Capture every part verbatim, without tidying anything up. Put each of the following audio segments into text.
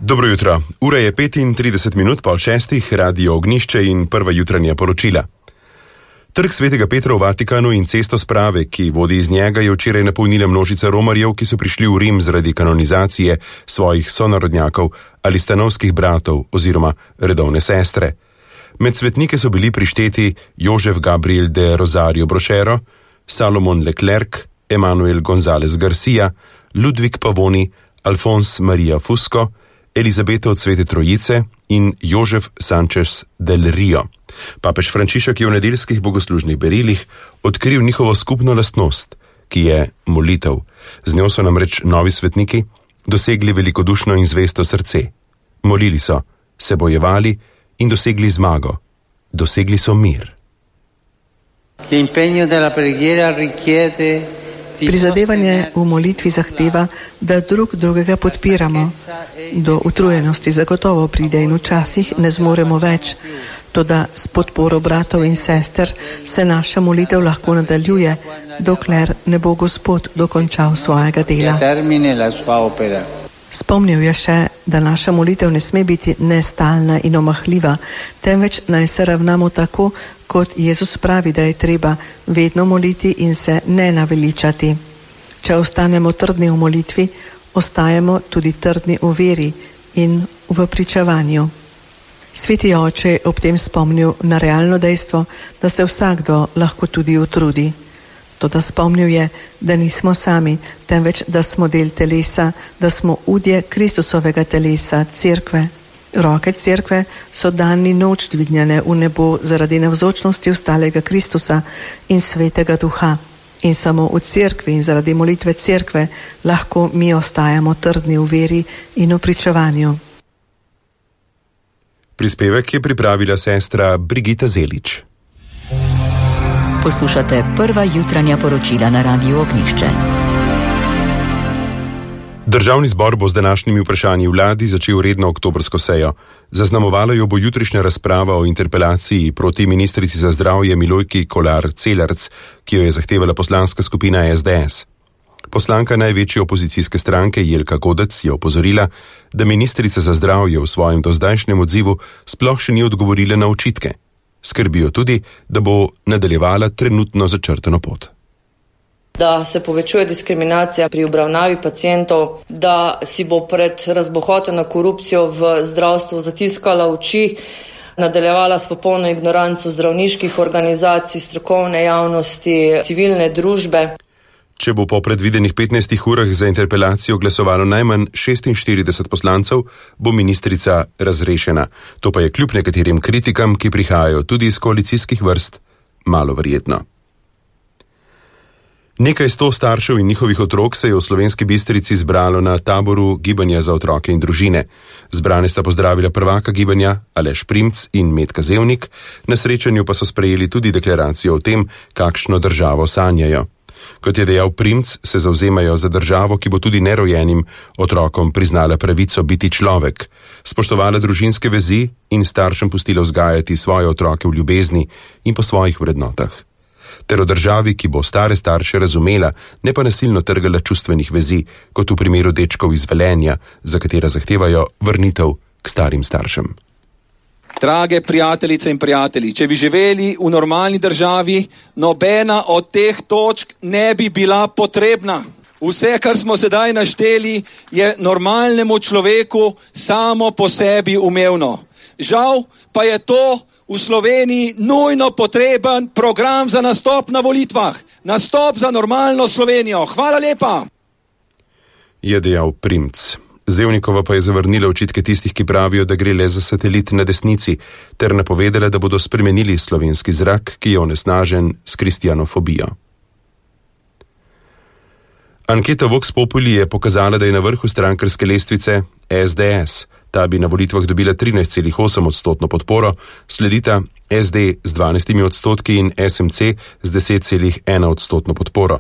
Dobro jutro. Ura je petintrideset minut pol šestih, Radio Ognjišče in prva jutranja poročila. Trg svetega Petra v Vatikanu in cesto sprave, ki vodi iz njega, je včeraj napolnila množica romarjev, ki so prišli v Rim zaradi kanonizacije svojih sonarodnjakov ali stanovskih bratov oziroma redovne sestre. Med svetnike so bili prišteti Jožef Gabriel de Rosario Brochero, Salomon Leclerc, Emanuel González Garcia, Ludvik Pavoni, Alfons Maria Fusco, Elizabeta od Svete Trojice in Jožef Sanchez del Rio. Papež Frančišek je v nedeljskih bogoslužnih berilih odkril njihovo skupno lastnost, ki je molitev. Z njo so namreč novi svetniki dosegli velikodušno in zvesto srce. Molili so, se bojevali in dosegli zmago. Dosegli so mir. Prizadevanje v molitvi zahteva, da drug drugega podpiramo. Do utrujenosti zagotovo pride in včasih ne zmoremo več. Toda s podporo bratov in sester se naša molitev lahko nadaljuje, dokler ne bo Gospod dokončal svojega dela. Spomnil je še, da naša molitev ne sme biti nestalna in omahljiva, temveč naj se ravnamo tako, kot Jezus pravi, da je treba vedno moliti in se ne naveličati. Če ostanemo trdni v molitvi, ostajamo tudi trdni v veri in v pričevanju. Sveti oče je ob tem spomnil na realno dejstvo, da se vsakdo lahko tudi utrudi. Toda spomnil je, da nismo sami, temveč da smo del telesa, da smo udje Kristusovega telesa, cerkve. Roke cerkve so dan in noč dvignjene v nebo zaradi navzočnosti ostalega Kristusa in Svetega Duha. In samo v cerkvi in zaradi molitve cerkve lahko mi ostajamo trdni v veri in v pričevanju. Prispevek je pripravila sestra Brigita Zelič. Poslušate prva jutranja poročila na Radiu Ognjišče. Državni zbor bo z današnjimi vprašanji vladi začel redno oktobrsko sejo. Zaznamovala jo bo jutrišnja razprava o interpelaciji proti ministrici za zdravje Milojki Kolar Celarc, ki jo je zahtevala poslanska skupina es de es. Poslanka največje opozicijske stranke Jelka Godec je opozorila, da ministrica za zdravje v svojem dozdajšnjem odzivu sploh še ni odgovorila na očitke. Skrbijo tudi, da bo nadaljevala trenutno začrtano pot. Da se povečuje diskriminacija pri obravnavi pacientov, da si bo pred razbohoteno korupcijo v zdravstvu zatiskala oči, nadaljevala s popolno ignoranco zdravniških organizacij, strokovne javnosti, civilne družbe. Če bo po predvidenih petnajstih urah za interpelacijo glasovalo najmanj šestinštirideset poslancev, bo ministrica razrešena. To pa je kljub nekaterim kritikam, ki prihajajo tudi iz koalicijskih vrst, malo verjetno. Nekaj sto staršev in njihovih otrok se je v Slovenski Bistrici zbralo na taboru Gibanja za otroke in družine. Zbrane sta pozdravila prvaka gibanja Aleš Primc in Metka Zevnik, na srečanju pa so sprejeli tudi deklaracijo o tem, kakšno državo sanjajo. Kot je dejal Primc, se zavzemajo za državo, ki bo tudi nerojenim otrokom priznala pravico biti človek, spoštovala družinske vezi in staršem pustila vzgajati svoje otroke v ljubezni in po svojih vrednotah. Ter o državi, ki bo stare starše razumela, ne pa nasilno trgala čustvenih vezi, kot v primeru dečkov iz Velenja, za katera zahtevajo vrnitev k starim staršem. Drage prijateljice in prijatelji, če bi živeli v normalni državi, nobena od teh točk ne bi bila potrebna. Vse, kar smo sedaj našteli, je normalnemu človeku samo po sebi umevno. Žal pa je to v Sloveniji nujno potreben program za nastop na volitvah. Nastop za normalno Slovenijo. Hvala lepa. Je dejal Primc. Zevnikova pa je zavrnila očitke tistih, ki pravijo, da gre le za satelit na desnici, ter napovedala, da bodo spremenili slovenski zrak, ki je onesnažen s kristjanofobijo. Anketa Vox Populi je pokazala, da je na vrhu strankarske lestvice es de es. Ta bi na volitvah dobila trinajst celih osem odstotno podporo, sledita es de z dvanajstimi odstotki in es em ce z deset celih ena odstotno podporo.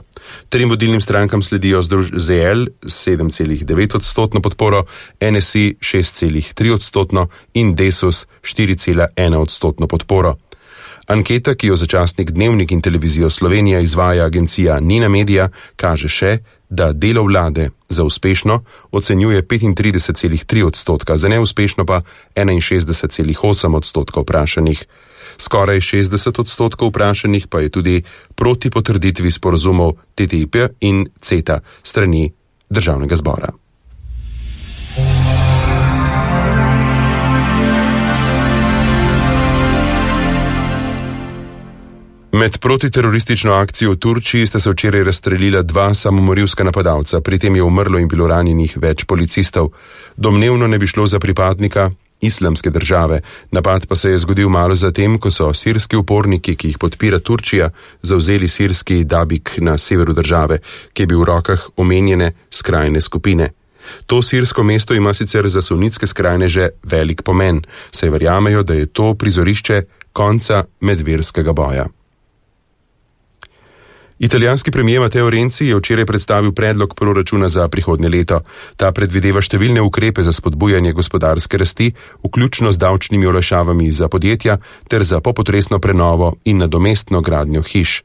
Trim vodilnim strankam sledijo zet el s sedem celih devet odstotno podporo, en es i šest celih tri odstotno in Desus štiri celih ena odstotno podporo. Anketa, ki jo za časnik Dnevnik in televizijo Slovenija izvaja agencija Nina Media, kaže še, da delo vlade za uspešno ocenjuje petintrideset celih tri odstotka, za neuspešno pa enainšestdeset celih osem odstotka vprašanih. Skoraj šestdeset odstotkov vprašanih pa je tudi proti potrditvi sporazumov T T I P in CETA strani državnega zbora. Med protiteroristično akcijo v Turčiji sta se včeraj razstrelila dva samomorilska napadalca, pri tem je umrlo in bilo ranjenih več policistov. Domnevno ne bi šlo za pripadnika Islamske države. Napad pa se je zgodil malo zatem, ko so sirski uporniki, ki jih podpira Turčija, zavzeli sirski Dabik na severu države, ki je bil v rokah omenjene skrajne skupine. To sirsko mesto ima sicer za sunitske skrajneže velik pomen, saj verjamejo, da je to prizorišče konca medverskega boja. Italijanski premijer Matteo Renzi je včeraj predstavil predlog proračuna za prihodnje leto. Ta predvideva številne ukrepe za spodbujanje gospodarske rasti, vključno z davčnimi olajšavami za podjetja ter za popotresno prenovo in nadomestno gradnjo hiš.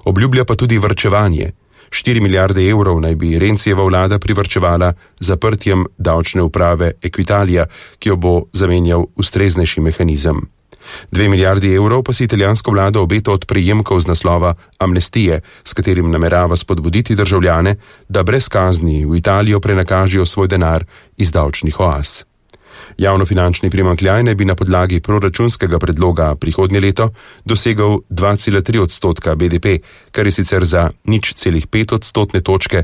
Obljublja pa tudi varčevanje. Štiri milijarde evrov naj bi Renzijeva vlada privarčevala zaprtjem davčne uprave Equitalija, ki jo bo zamenjal ustreznejši mehanizem. Dve milijardi evrov pa si italijansko vlado obeta od prejemkov z naslova amnestije, s katerim namerava spodbuditi državljane, da brez kazni v Italijo prenakažijo svoj denar iz davčnih oaz. Javnofinančni primanjkljaj naj bi na podlagi proračunskega predloga prihodnje leto dosegal dva cela tri odstotka B D P, kar je sicer za nič celih pet odstotne točke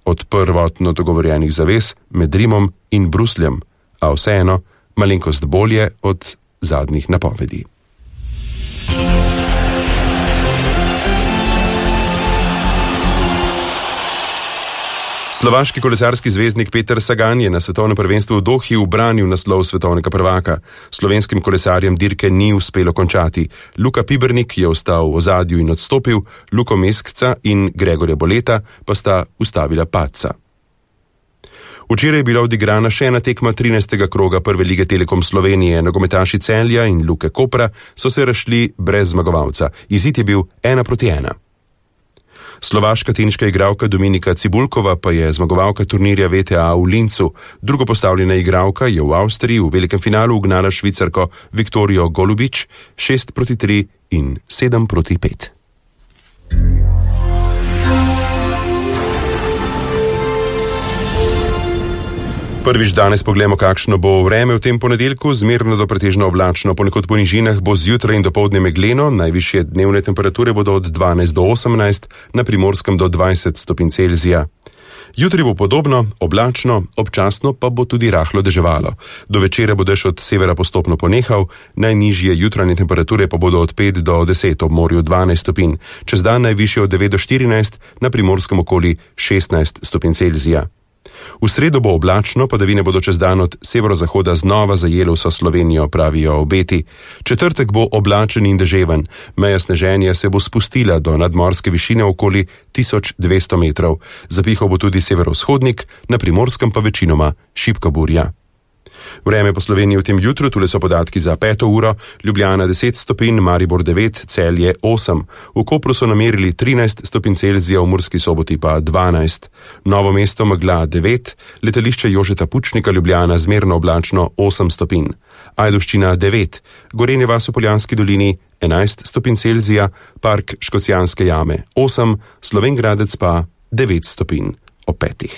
od prvotno dogovorjenih zavez med Rimom in Brusljem, a vseeno malenkost bolje od zadnjih napovedi. Slovaški kolesarski zvezdnik Peter Sagan je na svetovnem prvenstvu v Dohi ubranil naslov svetovnega prvaka. Slovenskim kolesarjem dirke ni uspelo končati. Luka Pibernik je ostal v ozadju in odstopil, Luko Meskca in Gregorja Boleta pa sta ustavila padca. Včeraj je bila odigrana še ena tekma trinajstega kroga prve lige Telekom Slovenije. Nogometaši Celja in Luke Kopra so se razšli brez zmagovalca. Izid je bil ena proti ena. Slovaška teniška igralka Dominika Cibulkova pa je zmagovalka turnirja V T A v Lincu. Drugo postavljena igralka je v Avstriji v velikem finalu ugnala Švicarko Viktorijo Golubič šest proti tri in sedem proti pet. Prvič danes pogledamo, kakšno bo vreme v tem ponedeljku. Zmerno do pretežno oblačno, ponekod po nižinah bo zjutraj in dopoldne megleno, najvišje dnevne temperature bodo od dvanajst do osemnajst, na Primorskem do dvajset stopinj Celzija. Jutri bo podobno, oblačno, občasno pa bo tudi rahlo deževalo. Do večera bo dež od severa postopno ponehal, najnižje jutranje temperature pa bodo od pet do deset, ob morju dvanajst stopinj, čez dan najvišje od devet do štirinajst, na Primorskem okoli šestnajst stopinj Celzija. V sredo bo oblačno, padavine bodo čez dan od severozahoda znova zajele vso Slovenijo, pravijo obeti. Četrtek bo oblačen in deževen, meja sneženja se bo spustila do nadmorske višine okoli tisoč dvesto metrov. Zapihal bo tudi severovzhodnik, na Primorskem pa večinoma šibka burja. Vreme po Sloveniji v tem jutru, tule so podatki za peto uro, Ljubljana deset stopinj, Maribor devet, Celje osem. V Kopru so namerili trinajst stopinj Celzija, v Murski Soboti pa dvanajst. Novo mesto megla devet, letališče Jožeta Pučnika Ljubljana zmerno oblačno osem stopinj. Ajdovščina devet, Gorenje vas v Poljanski dolini enajst stopinj Celzija, Park Škocjanske jame osem, Slovenj Gradec pa devet stopinj ob petih.